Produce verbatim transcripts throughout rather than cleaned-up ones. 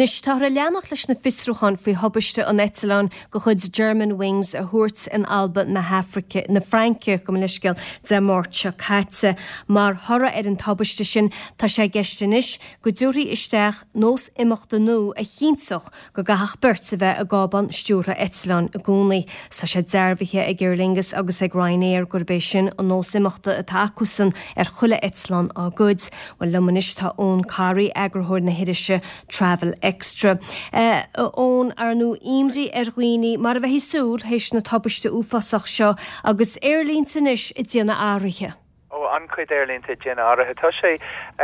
Anois táthar ag leanacht leis na fiosrúcháin faoi thubaiste an eitleáin de chuid Germanwings a thuirt in Alba na hAfraice na Fraince gabh mo leithscéal Dé Máirt seo caite. Mar thoradh ar an tubaiste sin tá sé i gceist anois go dtabharfaí isteach nós imeachta nua a chinnteodh go gcaithfeadh beirt a bheith i gcábán stiúrtha eitleáin i gcónaí. Tá sé dearbhaithe ag Aer Lingus agus ag Ryanair gurb é sin an nós imeachta atá acusan ar chuile eitleán dá gcuid. Well liom anois tá Eoin Corry eagarthóir na hirise Travel Extra. Uh, Eoin ar ndóigh imní ar dhaoine mar a bheifí ag súil théis na tubaiste uafásach seo agus aerlínte anois ag déanamh athruithe. ó an-chuid aerlínte ag déanamh athruithe tá sé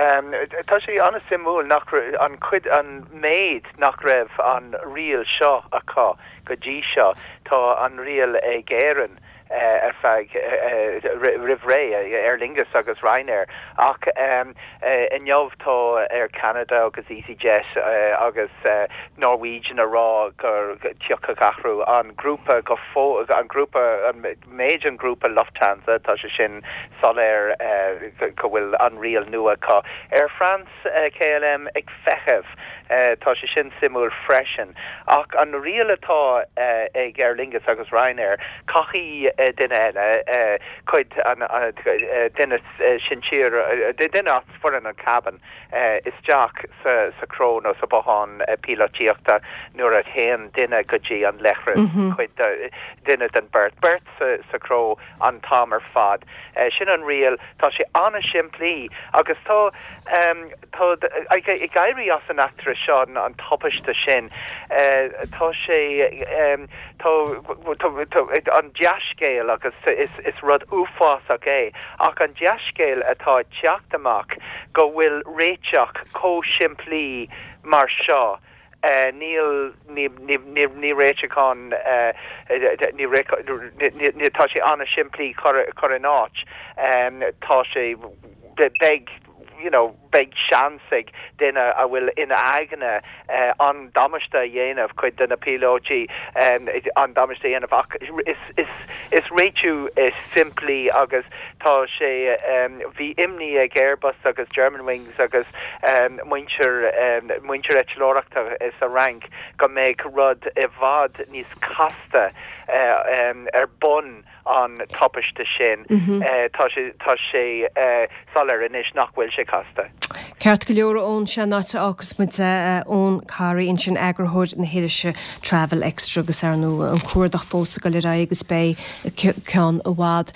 um, tá sé an-suimiúil nach an chuid an méid nach raibh an riail seo acu go dtí seo tá an riail ag Éirinn uh, ar feadh uh, roimh ré Aer Lingus agus Ryanair ach um, uh, inniu tá Air Canada agus EasyJet uh, agus uh, Norwegian a rá gur tiocfaidh athrú an grúpa go fó an grúpa an méid an grúpa Lufthansa tá sé sin soiléir uh, go bhfuil an riail nua acu. Air France uh, KLM ag feitheamh uh, tá sé sin suimiúil freisin ach an riail atá uh, ag Aer Lingus agus Ryanair caithfidh uh, duine eile uh, cuid an uh, duine uh, sinsir uh, duine as foireann an cabin uh, isteach sa, sa chró nó sa bothán uh, píolótaíochta nuair a théann duine go dtí an leithreas mm -hmm. cuid duine den beirt beirt sa, sa chró an t-am ar fad. Uh, sin an riail tá sé an-simplí agus tá um, tá ag éirí as an eachtra seo an, an tubaiste sin uh, tá sé um, tá, tá, tá, an dea-scéal agus is, is rud uafásach é ach an dea-scéal atá teacht amach go bhfuil réiteach chomh simplí mar seo. Uh, níl ní réiteachán uh, ní tá sé an-simplí chur in áit um, tá sé beidh you know beidh seans ag duine a bhfuil ina aigne uh, an damáiste a dhéanamh cuid de na píolótaí um, an damáiste a dhéanamh ach is, is, is réiteach is simplí agus tá sé um, bhí imní ag Airbus agus Germanwings agus um, muintir um, muintir eitleoireachta sa Fhrainc go mbeidh rud i bhfad níos casta uh, um, ar bun an tubaiste sin mm -hmm. uh, tá sé tá sé uh, soiléir anois nach bhfuil sé casta. Ceart go leor ón seanáte agus muid Eoin Corry ansin eagarthóir na hirise Travel Extra agus ar ndóigh an cuardach fós ag dul ar aghaidh agus beidh ceann i bhfad.